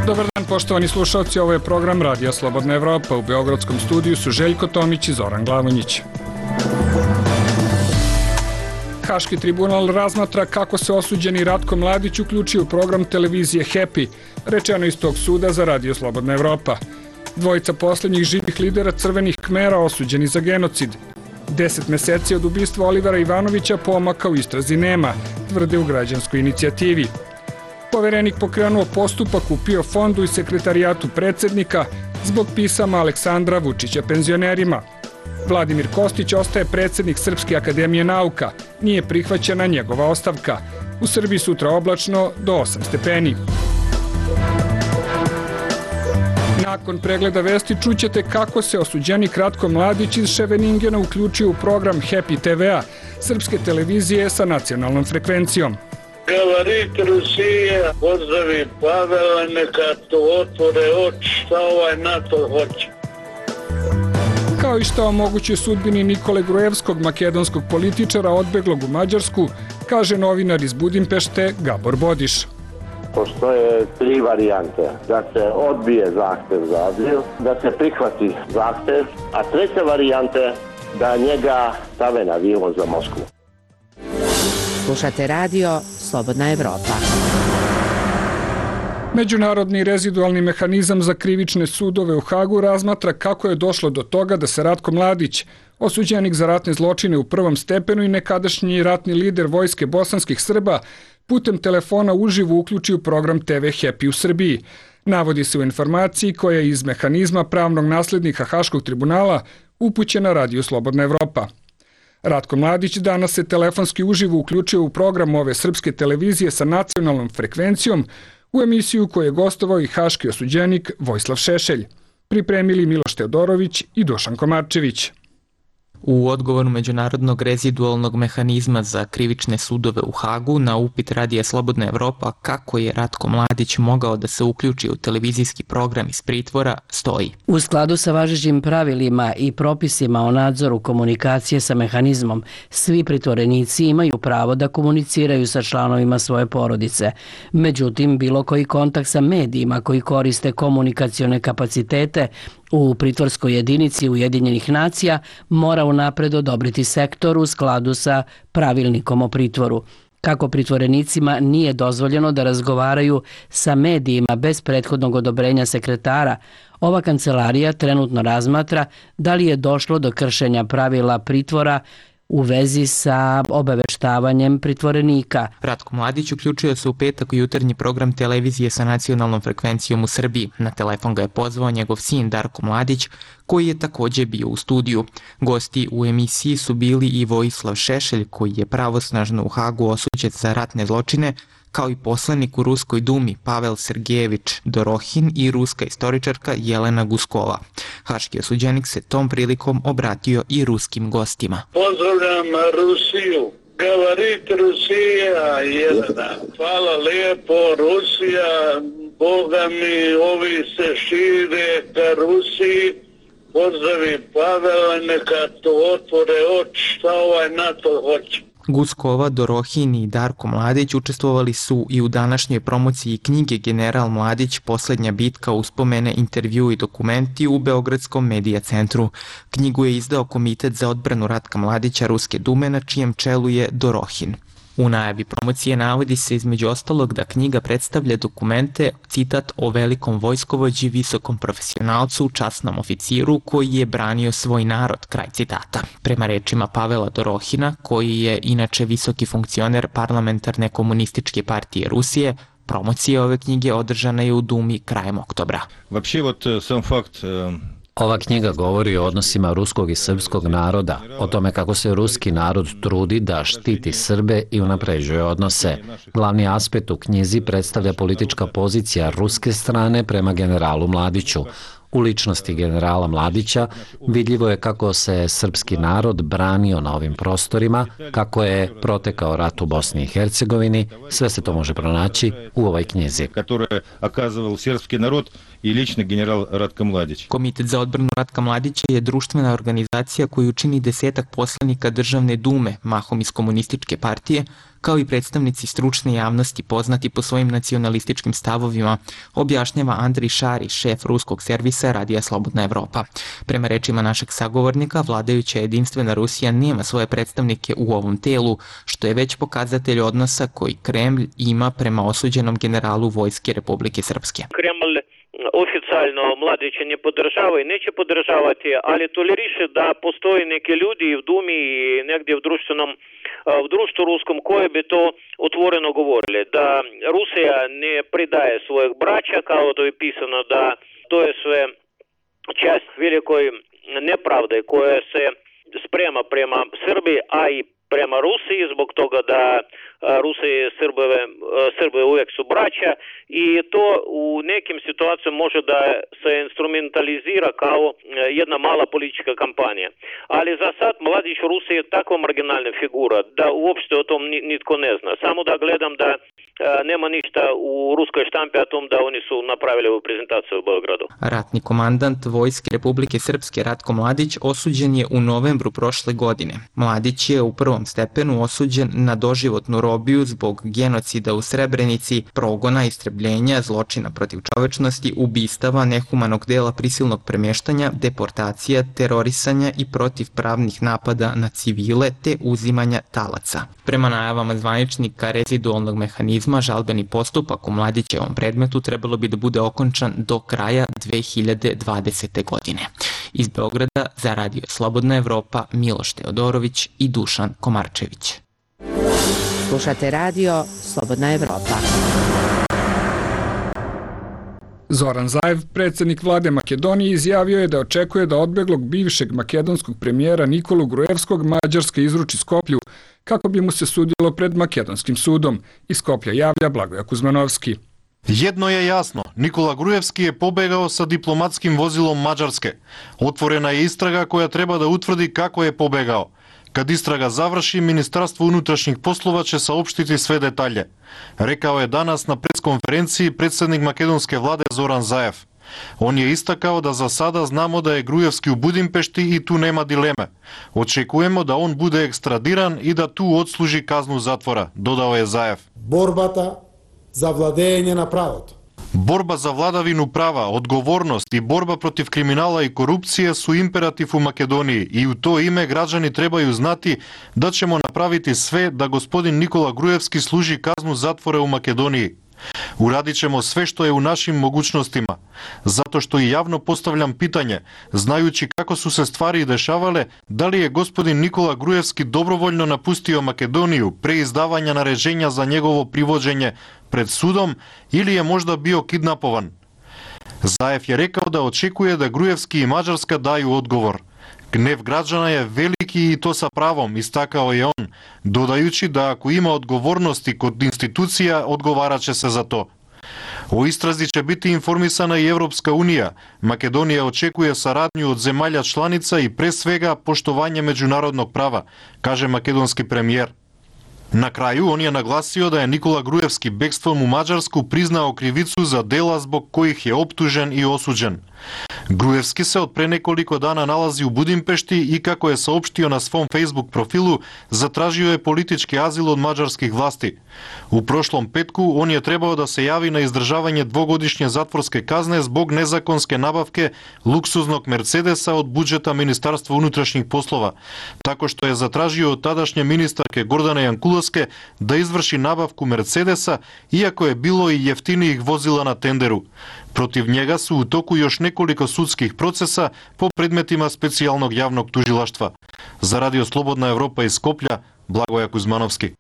Dobar dan, poštovani slušalci, ovo je program Radija Slobodna Evropa. U beogradskom studiju su Željko Tomić i Zoran Glavonjić. Haški tribunal razmatra kako se osuđeni Ratko Mladić uključio u program televizije Happy, rečeno iz tog suda za Radio Slobodna Evropa. Dvojica poslednjih živih lidera Crvenih Kmera osuđeni za genocid. 10 meseci od ubistva Olivera Ivanovića pomaka u istrazi nema, tvrde u građanskoj inicijativi. Poverenik pokrenuo postupak u PIO fondu i sekretarijatu predsednika zbog pisama Aleksandra Vučića penzionerima. Vladimir Kostić ostaje predsednik Srpske akademije nauka, nije prihvaćena njegova ostavka. U Srbiji sutra oblačno do 8 stepeni. Nakon pregleda vesti čućete kako se osuđenik Ratko Mladić iz Ševeningena uključio u program Happy TV-a, srpske televizije sa nacionalnom frekvencijom. Gavarit Rusije, pozdravi Pavela, neka to otvore oči šta ovaj NATO hoće. Kao i šta o mogućoj sudbini Nikole Gruevskog, makedonskog političara odbeglog u Mađarsku, kaže novinar iz Budimpešte Gabor Bodiš. Postoje 3 varijante. Da se odbije zahtev za azil, da se prihvati zahtev, a treća varijanta je da njega stave na avion za Moskvu. Slušate radio Slobodna Evropa. Međunarodni rezidualni mehanizam za krivične sudove u Hagu razmatra kako je došlo do toga da se Ratko Mladić, osuđenik za ratne zločine u prvom stepenu i nekadašnji ratni lider vojske bosanskih Srba, putem telefona uživo uključi u program TV Happy u Srbiji. Navodi se u informaciji koja je iz mehanizma pravnog naslednika Haškog tribunala upućena Radiju Slobodna Evropa. Ratko Mladić danas se telefonski uživo uključio u program ove srpske televizije sa nacionalnom frekvencijom u emisiju koju je gostovao i haški osuđenik Vojislav Šešelj. Pripremili Miloš Teodorović i Dušan Komarčević. U odgovoru Međunarodnog rezidualnog mehanizma za krivične sudove u Hagu na upit Radija Slobodna Evropa kako je Ratko Mladić mogao da se uključi u televizijski program iz pritvora stoji. U skladu sa važećim pravilima i propisima o nadzoru komunikacije sa mehanizmom, svi pritvorenici imaju pravo da komuniciraju sa članovima svoje porodice. Međutim, bilo koji kontakt sa medijima koji koriste komunikacione kapacitete u pritvorskoj jedinici Ujedinjenih nacija mora unapred odobriti sektor u skladu sa pravilnikom o pritvoru. Kako pritvorenicima nije dozvoljeno da razgovaraju sa medijima bez prethodnog odobrenja sekretara, ova kancelarija trenutno razmatra da li je došlo do kršenja pravila pritvora u vezi sa obaveštavanjem pritvorenika. Ratko Mladić uključio se u petak u jutarnji program televizije sa nacionalnom frekvencijom u Srbiji. Na telefon ga je pozvao njegov sin Darko Mladić, koji je takođe bio u studiju. Gosti u emisiji su bili i Vojislav Šešelj, koji je pravosnažno u Hagu osuđen za ratne zločine, kao i poslanik u Ruskoj dumi Pavel Sergejević Dorohin i ruska istoričarka Jelena Guskova. Haški osuđenik se tom prilikom obratio i ruskim gostima. Pozdravljam Rusiju. Gavarit Rusija, Jelena. Hvala lijepo, Rusija. Boga mi, ovi se šire ka Rusiji. Pozdravi Pavela, neka to otvore oči šta ovaj NATO hoće. Guskova, Dorohin i Darko Mladić učestvovali su i u današnjoj promociji knjige General Mladić, poslednja bitka, uspomene, intervju i dokumenti u Beogradskom medija centru. Knjigu je izdao Komitet za odbranu Ratka Mladića Ruske dume, na čijem čelu je Dorohin. U najavi promocije navodi se između ostalog da knjiga predstavlja dokumente, citat, o velikom vojskovođi, visokom profesionalcu, časnom oficiru koji je branio svoj narod, kraj citata. Prema rečima Pavela Dorohina, koji je inače visoki funkcioner parlamentarne komunističke partije Rusije, promocija ove knjige održana je u Dumi krajem oktobra. Ova knjiga govori o odnosima ruskog i srpskog naroda, o tome kako se ruski narod trudi da štiti Srbe i unapređuje odnose. Glavni aspekt u knjizi predstavlja politička pozicija ruske strane prema generalu Mladiću. U ličnosti generala Mladića vidljivo je kako se srpski narod branio na ovim prostorima, kako je protekao rat u Bosni i Hercegovini, sve se to može pronaći u ovoj knjizi. Komitet za odbranu Ratka Mladića je društvena organizacija koju čini 10 poslanika Državne dume, mahom iz komunističke partije, kao i predstavnici stručne javnosti poznati po svojim nacionalističkim stavovima, objašnjava Andrij Šari, šef ruskog servisa Radija Slobodna Evropa. Prema rečima našeg sagovornika, vladajuća jedinstvena Rusija nema svoje predstavnike u ovom telu, što je već pokazatelj odnosa koji Kremlj ima prema osuđenom generalu Vojske Republike Srpske. Kremlj oficijalno Mladića ne podržava i neće podržavati, ali toleriše da postoje neke ljudi v Dumi i negdje v društvu ruskom koji bi to otvoreno govorili, da Rusija ne pridaje svojih braća, kao to je pisano, da to je sve čast velikoj nepravde koja se sprema prema Srbiji, a i prema Rusiji, zbog toga da Rusiji i Srbi uvijek su braća i to u nekim situacijama može da se instrumentalizira kao jedna mala politička kampanja. Ali za sad Mladić u Rusiji je takva marginalna figura da uopšte o tom nitko ne zna. Samo da gledam da nema ništa u ruskoj štampi o tom da oni su napravili ovu prezentaciju u Beogradu. Ratni komandant Vojske Republike Srpske Ratko Mladić osuđen je u novembru prošle godine. Mladić je u prvom stepenu osuđen na doživotnu robiju zbog genocida u Srebrenici, progona, istrebljenja, zločina protiv čovečnosti, ubistava, nehumanog dela prisilnog premještanja, deportacija, terorisanja i protivpravnih napada na civile te uzimanja talaca. Prema najavama zvaničnika rezidualnog mehanizma, žalbeni postupak u Mladićevom predmetu trebalo bi da bude okončan do kraja 2020. godine. Iz Beograda za Radio Slobodna Evropa Miloš Teodorović i Dušan Komarčević. Slušate Radio Slobodna Evropa. Zoran Zaev, predsjednik vlade Makedonije, izjavio je da očekuje da odbeglog bivšeg makedonskog premijera Nikolu Gruevskog Mađarska izruči Skoplju kako bi mu se sudilo pred makedonskim sudom. Iz Skoplja javlja Blagoja Kuzmanovski. Jedno je jasno, Nikola Gruevski je pobegao sa diplomatskim vozilom Mađarske. Otvorena je istraga koja treba da utvrdi kako je pobegao. Kad istraga završi, Ministarstvo unutrašnjih poslova će saopštiti sve detalje. Rekao je danas na preskonferenciji predsjednik makedonske vlade Zoran Zaev. On je istakao da za sada znamo da je Gruevski u Budimpešti i tu nema dileme. Očekujemo da on bude ekstradiran i da tu odsluži kaznu zatvora, dodao je Zaev. Borbata za vladenje na pravото. Borba za vladavinu prava, odgovornost i borba protiv kriminala i korupcije su imperativ u Makedoniji i u to ime građani trebaju znati da ćemo napraviti sve da gospodin Nikola Gruevski služi kaznu zatvora u Makedoniji. Uradit ćemo sve što je u našim mogućnostima, zato što i javno postavljam pitanje, znajući kako su se stvari dešavale, da li je gospodin Nikola Gruevski dobrovoljno napustio Makedoniju pre izdavanja naređenja za njegovo privođenje pred sudom ili je možda bio kidnapovan. Zaev je rekao da očekuje da Gruevski i Mađarska daju odgovor. Gnev građana je veliki i to sa pravom, istakao je on, dodajući da ako ima odgovornosti kod institucija, odgovarat će se za to. O istrazi će biti informisana i Evropska unija. Makedonija očekuje saradnju od zemalja članica i pre svega poštovanje međunarodnog prava, kaže makedonski premijer. Na kraju on je naglasio da je Nikola Gruevski bekstvom u Mađarsku priznao krivicu za dela zbog kojih je optužen i osuđen. Gruevski se od pre nekoliko dana nalazi u Budimpešti i kako je saopštio na svom Facebook profilu, zatražio je politički azil od mađarskih vlasti. U prošlom petku on je trebao da se javi na izdržavanje dvogodišnje zatvorske kazne zbog nezakonske nabavke luksuznog Mercedesa od budžeta Ministarstva unutrašnjih poslova, tako što je zatražio od tadašnje ministarke Gordane Jankulovske da izvrši nabavku Mercedesa, iako je bilo i jeftinijih vozila na tenderu. Protiv njega su u toku još nekoliko sudskih procesa po predmetima specijalnog javnog tužilaštva. Za Radio Slobodna Evropa iz Skoplja, Blagoja Kuzmanovski.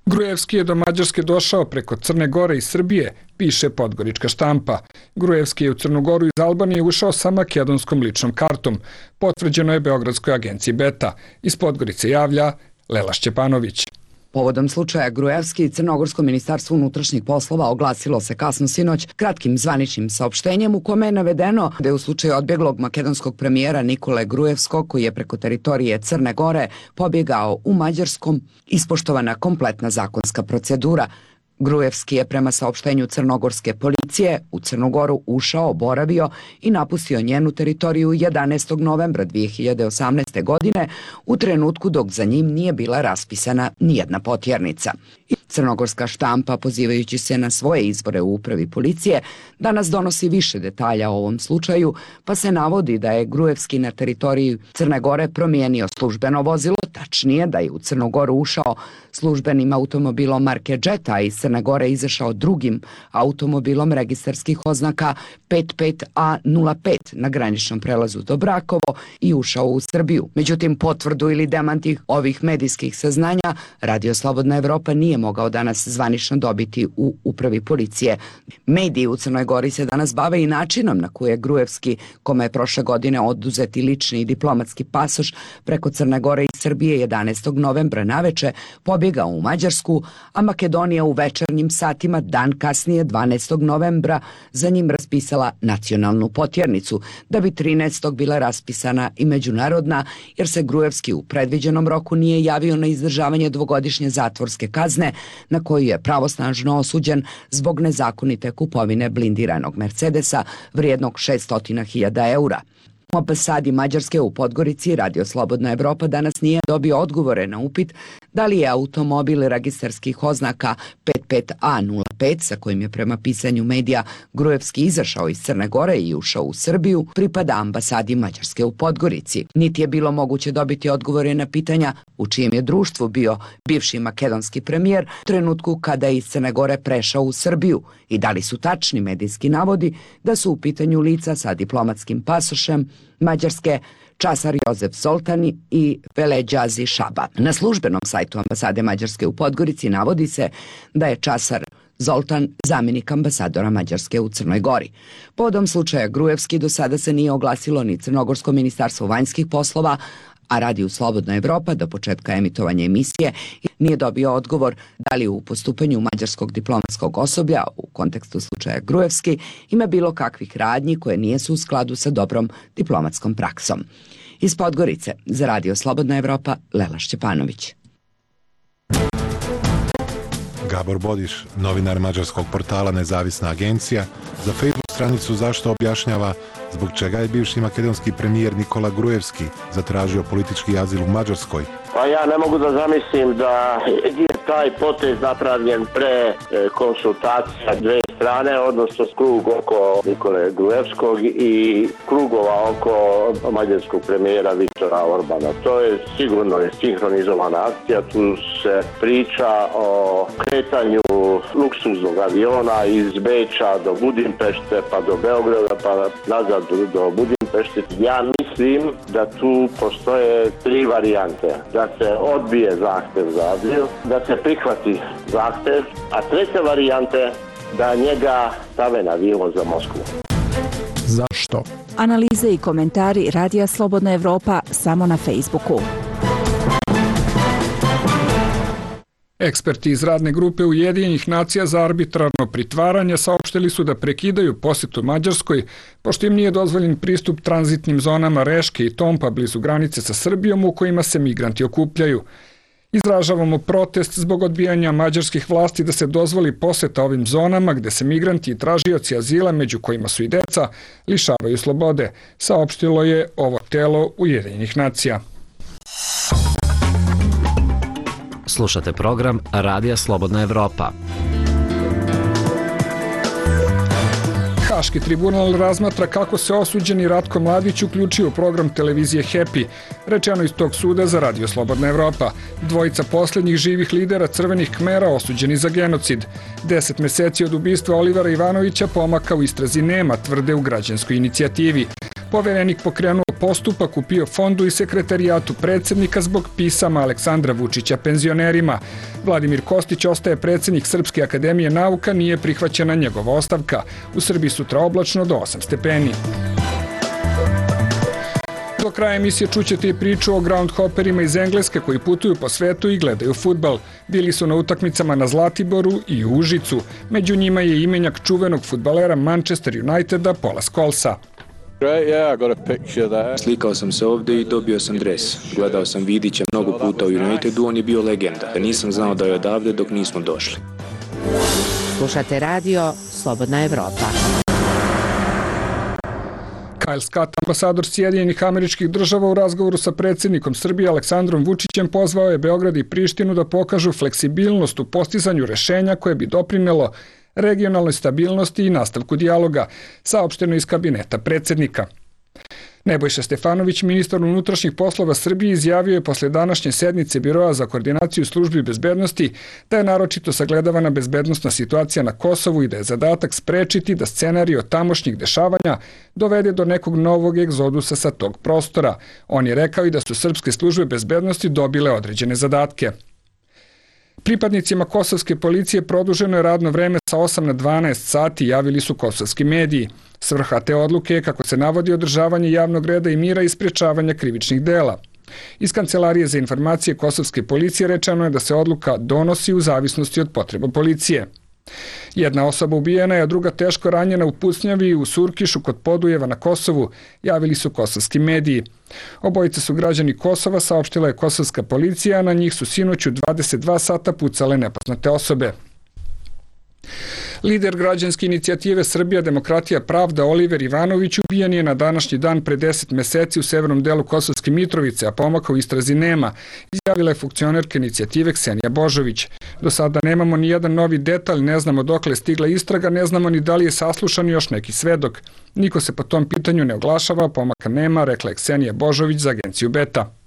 Gruevski je do Mađarske došao preko Crne Gore i Srbije, piše Podgorička štampa. Gruevski je u Crnu Goru iz Albanije ušao sa makedonskom ličnom kartom. Potvrđeno je Beogradskoj agenciji Beta. Iz Podgorice javlja Lela Šćepanović. Povodom slučaja Gruevski, Crnogorsko ministarstvo unutrašnjih poslova oglasilo se kasno sinoć kratkim zvaničnim saopštenjem u kome je navedeno da je u slučaju odbjeglog makedonskog premijera Nikole Gruevskog, koji je preko teritorije Crne Gore pobjegao u Mađarskom, ispoštovana kompletna zakonska procedura. Gruevski je prema saopštenju crnogorske policije u Crnu Goru ušao, boravio i napustio njenu teritoriju 11. novembra 2018. godine u trenutku dok za njim nije bila raspisana nijedna potjernica. Crnogorska štampa, pozivajući se na svoje izvore u upravi policije, danas donosi više detalja o ovom slučaju, pa se navodi da je Gruevski na teritoriji Crne Gore promijenio službeno vozilo, tačnije da je u Crnu Goru ušao službenim automobilom marke Jetta, a iz Crne Gore izašao drugim automobilom registarskih oznaka 55A05 na graničnom prelazu do Brakovo i ušao u Srbiju. Međutim, potvrdu ili demanti ovih medijskih saznanja Radio Slobodna Evropa nije mogao danas zvanično dobiti u upravi policije. Mediji u Crnoj Gori se danas bave i načinom na koji je Gruevski, kome je prošle godine oduzeti lični i diplomatski pasoš preko Crne Gore i Srbije 11. novembra naveče, pobjegao u Mađarsku, a Makedonija u večernjim satima dan kasnije 12. novembra za njim raspisala nacionalnu potjernicu, da bi 13. bila raspisana i međunarodna, jer se Gruevski u predviđenom roku nije javio na izdržavanje dvogodišnje zatvorske kazne na koju je pravosnažno osuđen zbog nezakonite kupovine blindiranog Mercedesa vrijednog 600.000 eura. U ambasadi Mađarske u Podgorici Radio Slobodna Evropa danas nije dobio odgovore na upit da li je automobil registarskih oznaka 55A05 sa kojim je prema pisanju medija Gruevski izašao iz Crne Gore i ušao u Srbiju pripada ambasadi Mađarske u Podgorici. Niti je bilo moguće dobiti odgovore na pitanja u čijem je društvu bio bivši makedonski premijer u trenutku kada je iz Crne Gore prešao u Srbiju i da li su tačni medijski navodi da su u pitanju lica sa diplomatskim pasošem Mađarske Časar Jozef Zoltani i Veleđazi Šaba. Na službenom sajtu ambasade Mađarske u Podgorici navodi se da je Časar Zoltan zamjenik ambasadora Mađarske u Crnoj Gori. Povodom slučaja Gruevski do sada se nije oglasilo ni Crnogorsko ministarstvo vanjskih poslova, a Radio Slobodna Evropa do početka emitovanja emisije nije dobio odgovor da li u postupanju mađarskog diplomatskog osoblja u kontekstu slučaja Gruevski ima bilo kakvih radnji koje nijesu u skladu sa dobrom diplomatskom praksom. Iz Podgorice za Radio Slobodna Evropa, Lela Šćepanović. Gabor Bodiš, novinar mađarskog portala Nezavisna agencija, za Facebook stranicu Zašto objašnjava zbog čega je bivši makedonski premijer Nikola Gruevski zatražio politički azil u Mađarskoj. Pa ja ne mogu da zamislim da je taj potez napravljen pre konsultacija dve strane, odnosno krug oko Nikole Gruevskog i krugova oko mađarskog premijera Viktora Orbana. To je sigurno sinhronizovana akcija, tu se priča o kretanju luksuznog aviona iz Beča do Budimpešte, pa do Beograda, pa nazad do Budimpešte. Ja mislim da tu postoje tri varijante. Da se odbije zahtev za azil, da se prihvati zahtev, a treća varijanta je da njega stave na avion za Moskvu. Zašto? Analize i komentari Radija Slobodna Evropa samo na Facebooku. Eksperti iz radne grupe Ujedinjenih nacija za arbitrarno pritvaranje saopštili su da prekidaju posjetu Mađarskoj, pošto im nije dozvoljen pristup tranzitnim zonama Reške i Tompa blizu granice sa Srbijom u kojima se migranti okupljaju. Izražavamo protest zbog odbijanja mađarskih vlasti da se dozvoli poseta ovim zonama gde se migranti i tražioci azila, među kojima su i deca, lišavaju slobode, saopštilo je ovo telo Ujedinjenih nacija. Slušate program Radija Slobodna Evropa. Haški tribunal razmatra kako se osuđeni Ratko Mladić uključio u program televizije Happy, rečeno iz tog suda za Radio Slobodna Evropa. Dvojica posljednjih živih lidera Crvenih Kmera osuđeni za genocid. 10 meseci od ubistva Olivera Ivanovića pomaka u istrazi nema, tvrde u građanskoj inicijativi. Poverenik pokrenuo postupak u PIO fondu i sekretarijatu predsjednika zbog pisama Aleksandra Vučića penzionerima. Vladimir Kostić ostaje predsjednik Srpske akademije nauka, nije prihvaćena njegova ostavka. U Srbiji sutra oblačno do 8 stepeni. Do kraja emisije čućete i priču o groundhopperima iz Engleske koji putuju po svetu i gledaju fudbal. Bili su na utakmicama na Zlatiboru i u Užicu. Među njima je imenjak čuvenog fudbalera Manchester Uniteda Paula Scholesa. Slikao sam se ovdje i dobio sam dres. Gledao sam Vidića mnogo puta u Unitedu, on je bio legenda. Nisam znao da je odavde dok nismo došli. Slušate radio Slobodna Evropa. Kyle Scott, ambasador Sjedinjenih Američkih Država, u razgovoru sa predsjednikom Srbije Aleksandrom Vučićem pozvao je Beograd i Prištinu da pokažu fleksibilnost u postizanju rešenja koje bi doprinelo regionalnoj stabilnosti i nastavku dijaloga, saopšteno iz kabineta predsjednika. Nebojša Stefanović, ministar unutrašnjih poslova Srbije, izjavio je posle današnje sednice Biroa za koordinaciju službi bezbednosti da je naročito sagledavana bezbednosna situacija na Kosovu i da je zadatak sprečiti da scenario tamošnjih dešavanja dovede do nekog novog egzodusa sa tog prostora. On je rekao i da su srpske službe bezbednosti dobile određene zadatke. Pripadnicima kosovske policije produženo je radno vreme sa 8 na 12 sati, javili su kosovski mediji. Svrha te odluke je, kako se navodi, održavanje javnog reda i mira i sprečavanja krivičnih dela. Iz Kancelarije za informacije kosovske policije rečeno je da se odluka donosi u zavisnosti od potreba policije. Jedna osoba ubijena je, a druga teško ranjena u pucnjavi u Surkišu kod Podujeva na Kosovu, javili su kosovski mediji. Obojice su građani Kosova, saopštila je kosovska policija, a na njih su sinoć u 22 sata pucale nepoznate osobe. Lider građanske inicijative Srbija, demokratija, pravda Oliver Ivanović ubijen je na današnji dan pre 10 meseci u severnom delu Kosovske Mitrovice, a pomaka u istrazi nema, izjavila je funkcionerka inicijative Ksenija Božović. Do sada nemamo ni jedan novi detalj, ne znamo dokle je stigla istraga, ne znamo ni da li je saslušan još neki svedok. Niko se po tom pitanju ne oglašava, pomaka nema, rekla je Ksenija Božović za agenciju Beta.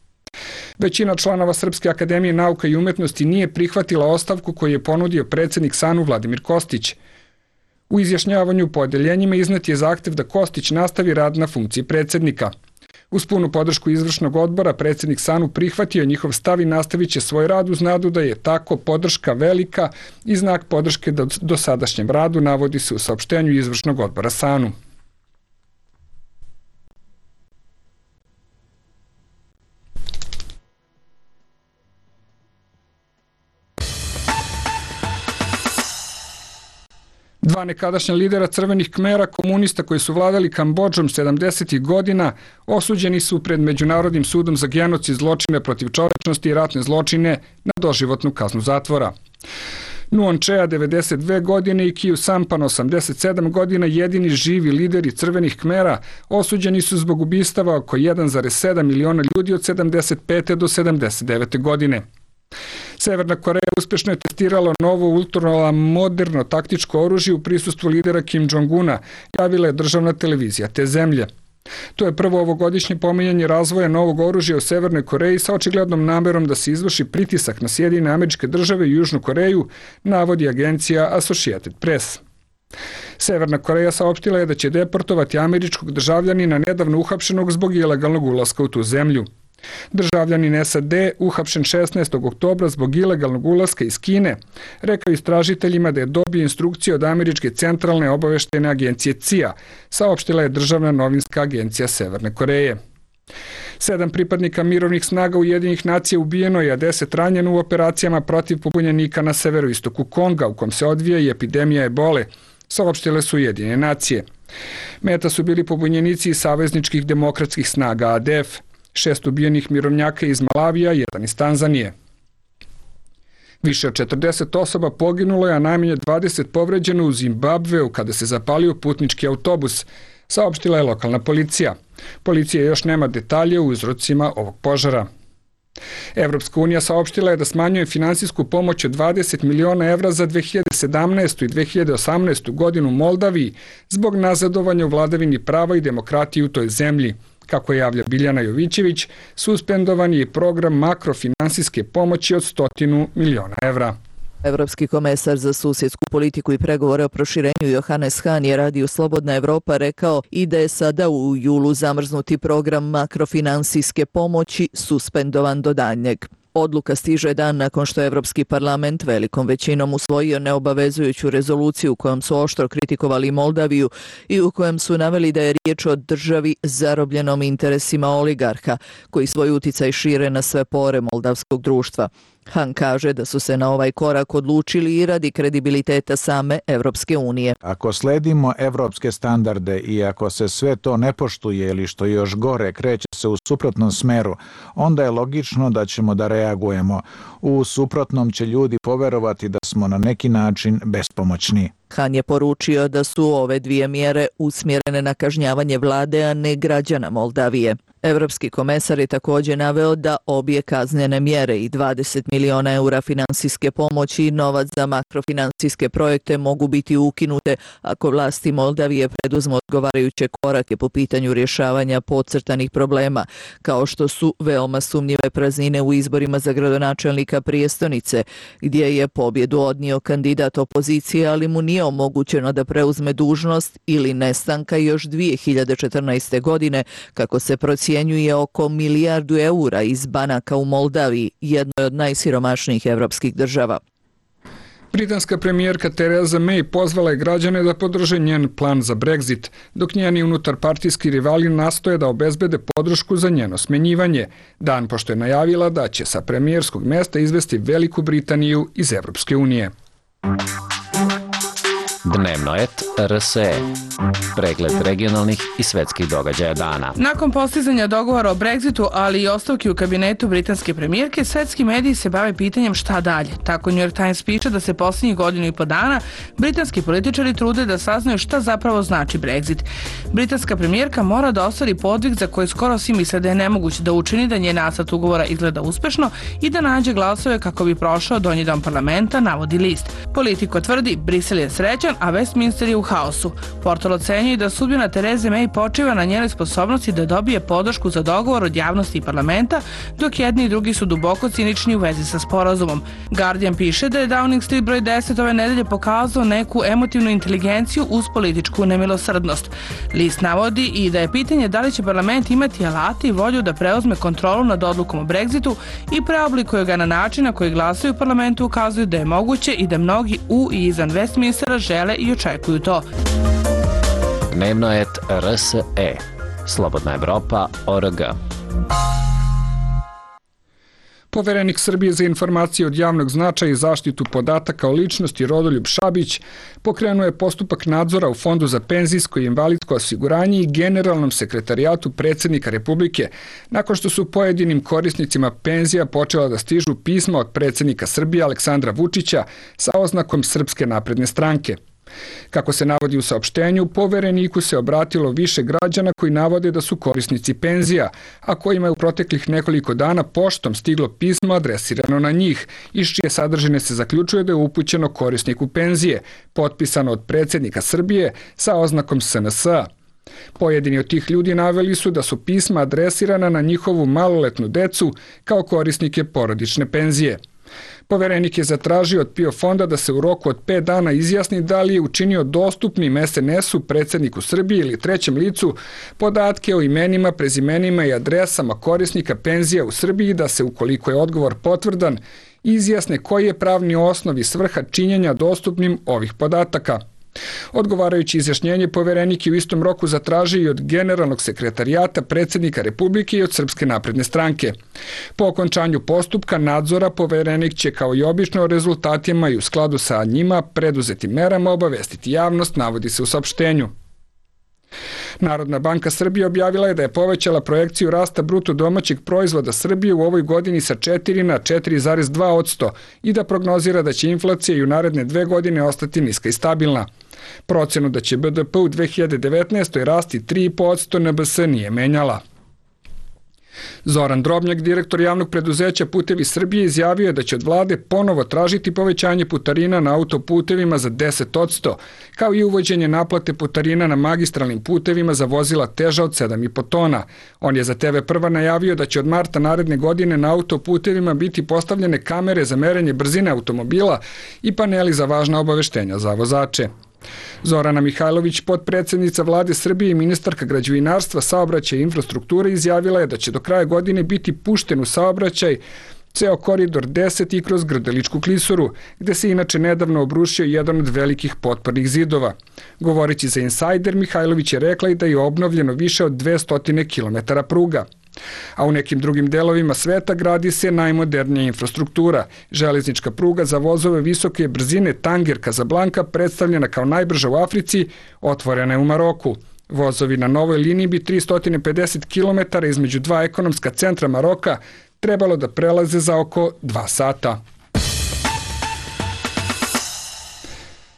Većina članova Srpske akademije nauka i umetnosti nije prihvatila ostavku koju je ponudio predsjednik SANU Vladimir Kostić. U izjašnjavanju po odeljenjima iznet je zahtev da Kostić nastavi rad na funkciji predsjednika. Uz punu podršku izvršnog odbora, predsjednik SANU prihvatio njihov stav i nastavit će svoj rad uz nadu da je tako podrška velika i znak podrške dosadašnjem radu, navodi se u saopštenju izvršnog odbora SANU. Dva nekadašnja lidera crvenih Kmera, komunista koji su vladali Kambodžom 70. godina, osuđeni su pred Međunarodnim sudom za genocid, zločine protiv čovečnosti i ratne zločine na doživotnu kaznu zatvora. Nuon Chea 92 godine i Kiu Sampan 87 godina, jedini živi lideri crvenih Kmera, osuđeni su zbog ubistava oko 1,7 miliona ljudi od 75. do 79. godine. Severna Koreja uspješno je testirala novo ultramoderno taktičko oružje u prisustvu lidera Kim Jong-una, javila je državna televizija te zemlje. To je prvo ovogodišnje pominjanje razvoja novog oružja u Severnoj Koreji sa očiglednom namerom da se izvrši pritisak na Sjedinjene Američke Države i Južnu Koreju, navodi agencija Associated Press. Severna Koreja saopštila je da će deportovati američkog državljanina nedavno uhapšenog zbog ilegalnog ulaska u tu zemlju. Državljanin SAD uhapšen 16. oktobra zbog ilegalnog ulaska iz Kine, rekao istražiteljima da je dobio instrukcije od američke centralne obaveštajne agencije CIA, saopštila je državna novinska agencija Severne Koreje. 7 pripadnika mirovnih snaga Ujedinjenih nacija ubijeno je, a 10 ranjeno u operacijama protiv pobunjenika na severoistoku Konga, u kom se odvija i epidemija ebole, saopštile su Ujedinjene nacije. Meta su bili pobunjenici iz savezničkih demokratskih snaga ADF, 6 ubijenih mirovnjaka iz Malavija, 1 iz Tanzanije. Više od 40 osoba poginulo je, a najmanje 20 povređeno u Zimbabveu kada se zapalio putnički autobus, saopštila je lokalna policija. Policija još nema detalje o uzrocima ovog požara. Evropska unija saopštila je da smanjuje finansijsku pomoć od 20 miliona evra za 2017. i 2018. godinu Moldaviji zbog nazadovanja u vladavini prava i demokratiji u toj zemlji. Kako javlja Biljana Jovićević, suspendovan je i program makrofinansijske pomoći od 100 miliona evra. Evropski komesar za susjedsku politiku i pregovore o proširenju Johannes Hahn je radiju Slobodna Evropa rekao i da je sada u julu zamrznuti program makrofinansijske pomoći suspendovan do daljnjeg. Odluka stiže dan nakon što je Evropski parlament velikom većinom usvojio neobavezujuću rezoluciju kojom su oštro kritikovali Moldaviju i u kojem su naveli da je riječ o državi zarobljenom interesima oligarha koji svoj uticaj šire na sve pore moldavskog društva. Han kaže da su se na ovaj korak odlučili i radi kredibiliteta same Evropske unije. Ako sledimo evropske standarde i ako se sve to ne poštuje ili što još gore kreće se u suprotnom smeru, onda je logično da ćemo da reagujemo. U suprotnom će ljudi poverovati da smo na neki način bespomoćni. Han je poručio da su ove dvije mjere usmjerene na kažnjavanje vlade, a ne građana Moldavije. Evropski komesar je također naveo da obje kaznene mjere i 20 miliona eura finansijske pomoći i novac za makrofinansijske projekte mogu biti ukinute ako vlasti Moldavije preduzmu odgovarajuće korake po pitanju rješavanja podcrtanih problema, kao što su veoma sumnjive praznine u izborima za gradonačelnika prijestonice, gdje je pobjedu odnio kandidat opozicije, ali mu nije omogućeno da preuzme dužnost, ili nestanka još 2014. godine, kako se procjenjuje oko milijardu eura iz banaka u Moldaviji, jednoj od najsiromašnijih evropskih država. Britanska premijerka Theresa May pozvala je građane da podrže njen plan za Brexit, dok njeni unutarpartijski rivali nastoje da obezbede podršku za njeno smenjivanje, dan pošto je najavila da će sa premijerskog mesta izvesti Veliku Britaniju iz Evropske unije. Dnevnoet RSE. Pregled regionalnih i svetskih događaja dana. Nakon postizanja dogovora o Brexitu, ali i ostavki u kabinetu britanske premijerke, svetski mediji se bave pitanjem šta dalje. Tako New York Times piše da se posljednjih godinu i po dana britanski političari trude da saznaju šta zapravo znači Brexit. Britanska premijerka mora da ostvari podvig za koji skoro svi misle da je nemoguće da učini da njen nacrt ugovora izgleda uspešno i da nađe glasove kako bi prošao donji dom parlamenta, navodi list. Politiko tvrdi, Brisel je srećan, a Westminster je u haosu. Portal ocenjuje da sudbina Therese May počiva na njenoj sposobnosti da dobije podršku za dogovor od javnosti i parlamenta, dok jedni i drugi su duboko cinični u vezi sa sporazumom. Guardian piše da je Downing Street broj 10 ove nedelje pokazao neku emotivnu inteligenciju uz političku nemilosrdnost. List navodi i da je pitanje da li će parlament imati alati i volju da preuzme kontrolu nad odlukom o Brexitu i preoblikuje ga na način na koji glasaju u parlamentu ukazuju da je moguće i da mnogi u i izvan Westminstera žele i očekuju to. Dnevnoet RSE. Slobodna Evropa.org. Poverenik Srbije za informacije od javnog značaja i zaštitu podataka o ličnosti Rodoljub Šabić pokrenuo je postupak nadzora u Fondu za penzijsko i invalidsko osiguranje i Generalnom sekretarijatu predsjednika Republike, nakon što su pojedinim korisnicima penzija počela da stižu pisma od predsjednika Srbije Aleksandra Vučića sa oznakom Srpske napredne stranke. Kako se navodi u saopštenju, povereniku se obratilo više građana koji navode da su korisnici penzija, a kojima je u proteklih nekoliko dana poštom stiglo pismo adresirano na njih, iz čije sadržine se zaključuje da je upućeno korisniku penzije, potpisano od predsjednika Srbije sa oznakom SNS-a. Pojedini od tih ljudi naveli su da su pisma adresirana na njihovu maloletnu decu kao korisnike porodične penzije. Poverenik je zatražio od PIO fonda da se u roku od 5 dana izjasni da li je učinio dostupnim SNS-u, predsjedniku Srbije ili trećem licu podatke o imenima, prezimenima i adresama korisnika penzija u Srbiji, da se, ukoliko je odgovor potvrdan, izjasne koji je pravni osnov i svrha činjenja dostupnim ovih podataka. Odgovarajući izjašnjenje, poverenik je u istom roku zatražio i od Generalnog sekretarijata predsjednika Republike i od Srpske napredne stranke. Po okončanju postupka nadzora, poverenik će kao i obično o rezultatima i u skladu sa njima preduzetim merama obavestiti javnost, navodi se u saopštenju. Narodna banka Srbije objavila je da je povećala projekciju rasta bruto domaćeg proizvoda Srbije u ovoj godini sa 4 na 4,2% i da prognozira da će inflacija i u naredne 2 godine ostati niska i stabilna. Procenu da će BDP u 2019. rasti 3%, NBS nije menjala. Zoran Drobnjak, direktor javnog preduzeća Putevi Srbije, izjavio je da će od vlade ponovo tražiti povećanje putarina na autoputevima za 10%, kao i uvođenje naplate putarina na magistralnim putevima za vozila teža od 7,5 tona. On je za TV Prva najavio da će od marta naredne godine na autoputevima biti postavljene kamere za merenje brzine automobila i paneli za važna obaveštenja za vozače. Zorana Mihajlović, potpredsjednica vlade Srbije i ministarka građevinarstva, saobraćaja i infrastrukture, izjavila je da će do kraja godine biti pušten u saobraćaj ceo koridor 10 i kroz Grdeličku klisuru, gde se inače nedavno obrušio jedan od velikih potpornih zidova. Govoreći za Insider, Mihajlović je rekla i da je obnovljeno više od 200 km pruga. A u nekim drugim delovima sveta gradi se najmodernija infrastruktura. Železnička pruga za vozove visoke brzine Tanger Casablanca, predstavljena kao najbrža u Africi, otvorena je u Maroku. Vozovi na novoj liniji bi 350 km između dva ekonomska centra Maroka trebalo da prelaze za oko 2 sata.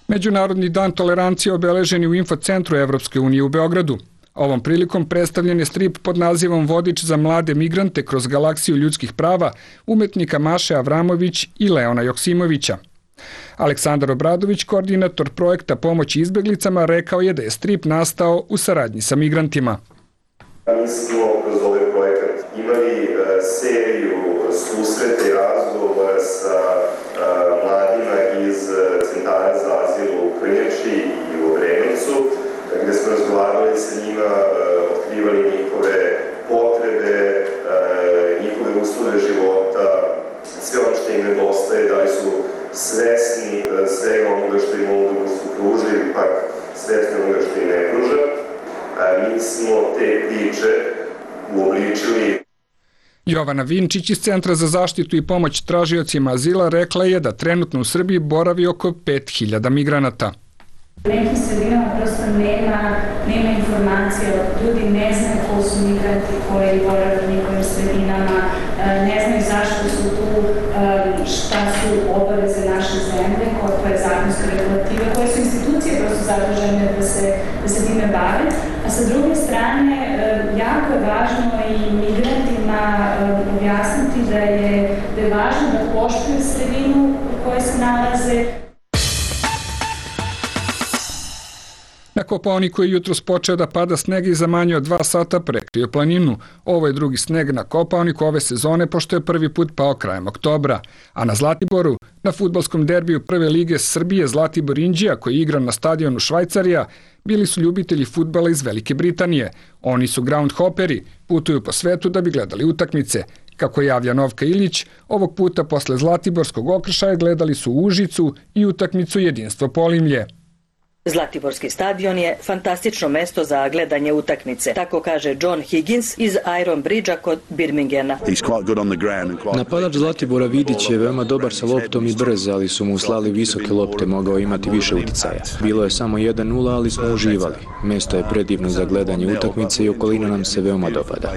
Međunarodni dan tolerancije obeležen je u infocentru Evropske unije u Beogradu. Ovom prilikom predstavljen je strip pod nazivom Vodič za mlade migrante kroz galaksiju ljudskih prava umetnika Maše Avramović i Leona Joksimovića. Aleksandar Obradović, koordinator projekta pomoći izbeglicama, rekao je da je strip nastao u saradnji sa migrantima. Mi smo kroz ovaj projekat imali seriju susreta i razgovora sa mladima iz centara za azil u Krnjači i u Obrenovcu, gde smo razgovarali sa njima, otkrivali njihove potrebe, njihove uslove života, sve ono što im nedostaje, da li su svesni svega onoga što im ovo društvo pruža ili pak svesni onoga što im ne pruža. Mi smo te priče uobličili. Jovana Vinčić iz Centra za zaštitu i pomoć tražiocima azila rekla je da trenutno u Srbiji boravi oko 5000 migranata. U nekim sredinama prosto nema informacija, ljudi ne znaju ko su migranti koji borave u njihovim sredinama, ne znaju zašto su tu, šta su obaveze naše zemlje, koja je zakonska regulativa, koje su institucije prosto zadužene da se time bave. A sa druge strane, jako je važno i migrantima objasniti da je važno da poštuju sredinu u kojoj se nalaze. Na Kopaoniku je jutros počeo da pada sneg i za manje od 2 sata prekrio planinu. Ovo je drugi sneg na Kopaoniku ove sezone, pošto je prvi put pao krajem oktobra. A na Zlatiboru, na fudbalskom derbiju Prve lige Srbije Zlatibor Inđija, koji igra na stadionu Švajcarija, bili su ljubitelji fudbala iz Velike Britanije. Oni su groundhopperi, putuju po svetu da bi gledali utakmice. Kako javlja Novka Ilić, ovog puta posle Zlatiborskog okršaja gledali su Užicu i utakmicu Jedinstvo Polimlje. Zlatiborski stadion je fantastično mesto za gledanje utakmice, tako kaže John Higgins iz Iron Bridgea kod Birminghama. Napadač Zlatibora Vidić je veoma dobar sa loptom i brz, ali su mu slali visoke lopte, mogao imati više uticaja. Bilo je samo 1-0, ali smo uživali. Mesto je predivno za gledanje utakmice i okolina nam se veoma dopada.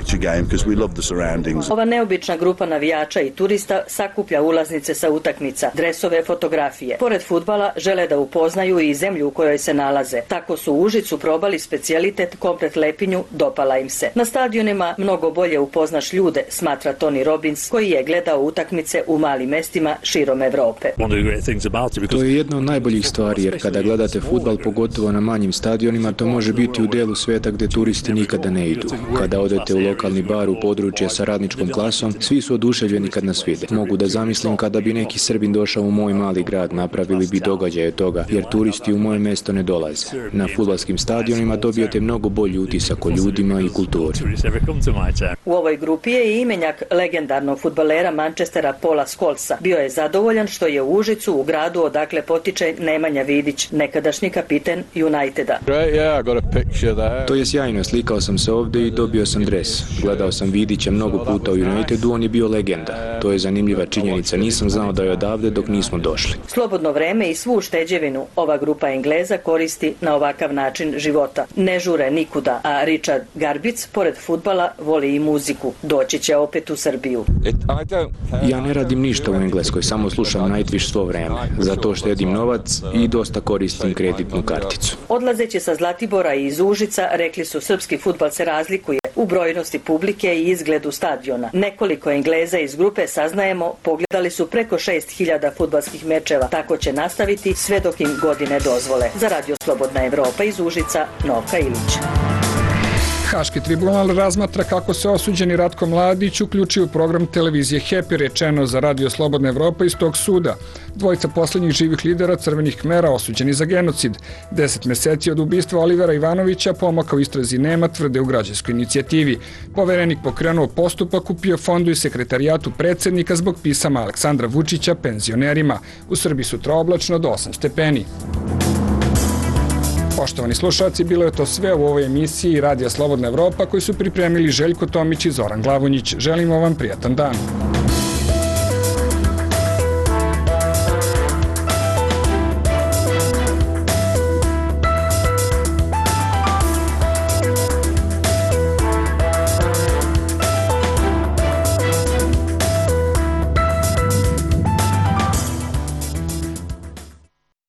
Ova neobična grupa navijača i turista sakuplja ulaznice sa utakmica, dresove, fotografije. Pored fudbala žele da upoznaju i zemlju u kojoj se nalaze. Tako su u Užicu probali specijalitet komplet lepinju, dopala im se. Na stadionima mnogo bolje upoznaš ljude, smatra Tony Robbins, koji je gledao utakmice u malim mestima širom Evrope. To je jedna od najboljih stvari, jer kada gledate fudbal, pogotovo na manjim stadionima, to može biti u delu sveta gde turisti nikada ne idu. Kada odete u lokalni bar u područje sa radničkom klasom, svi su oduševljeni kad nas vide. Mogu da zamislim kada bi neki Srbin došao u moj mali grad, napravili bi događaje toga, jer turisti u moje mesto ne dolaze. Na fudbalskim stadionima dobijete mnogo bolji utisak o ljudima i kulturi. U ovoj grupi je i imenjak legendarnog fudbalera Manchestera Paula Scholesa. Bio je zadovoljan što je u Užicu, u gradu odakle potiče Nemanja Vidić, nekadašnji kapiten Uniteda. To je sjajno, slikao sam se ovde i dobio sam dres. Gledao sam Vidića mnogo puta u Unitedu, on je bio legenda. To je zanimljiva činjenica, nisam znao da je odavde dok nismo došli. Slobodno vreme i svu ušteđevinu ova grupa Engleza koristi na ovakav način života. Ne žure nikuda, a Richard Garbic, pored fudbala, voli i muziku. Doći će opet u Srbiju. Ja ne radim ništa u Engleskoj, samo slušam Nightwish svo vreme. Zato štedim novac i dosta koristim kreditnu karticu. Odlazeći sa Zlatibora i iz Užica, rekli su srpski fudbal se razlikuje u brojnosti publike i izgledu stadiona. Nekoliko Engleza iz grupe, saznajemo, pogledali su preko 6000 fudbalskih mečeva. Tako će nastaviti sve dok im godine dozvole. Za Radio Slobodna Evropa iz Užica, Novka Ilić. Haški tribunal razmatra kako se osuđeni Ratko Mladić uključio u program televizije Happy, rečeno za Radio Slobodna Evropa iz tog suda. Dvojica poslednjih živih lidera Crvenih Kmera osuđeni za genocid. 10 meseci od ubistva Olivera Ivanovića pomaka u istrazi nema, tvrde u građanskoj inicijativi. Poverenik pokrenuo postupak u PIO fondu i sekretarijatu predsednika zbog pisama Aleksandra Vučića penzionerima. U Srbiji sutra oblačno do 8 stepeni. Poštovani slušalci, bilo je to sve u ovoj emisiji Radija Slobodna Evropa koju su pripremili Željko Tomić i Zoran Glavonjić. Želimo vam prijatan dan.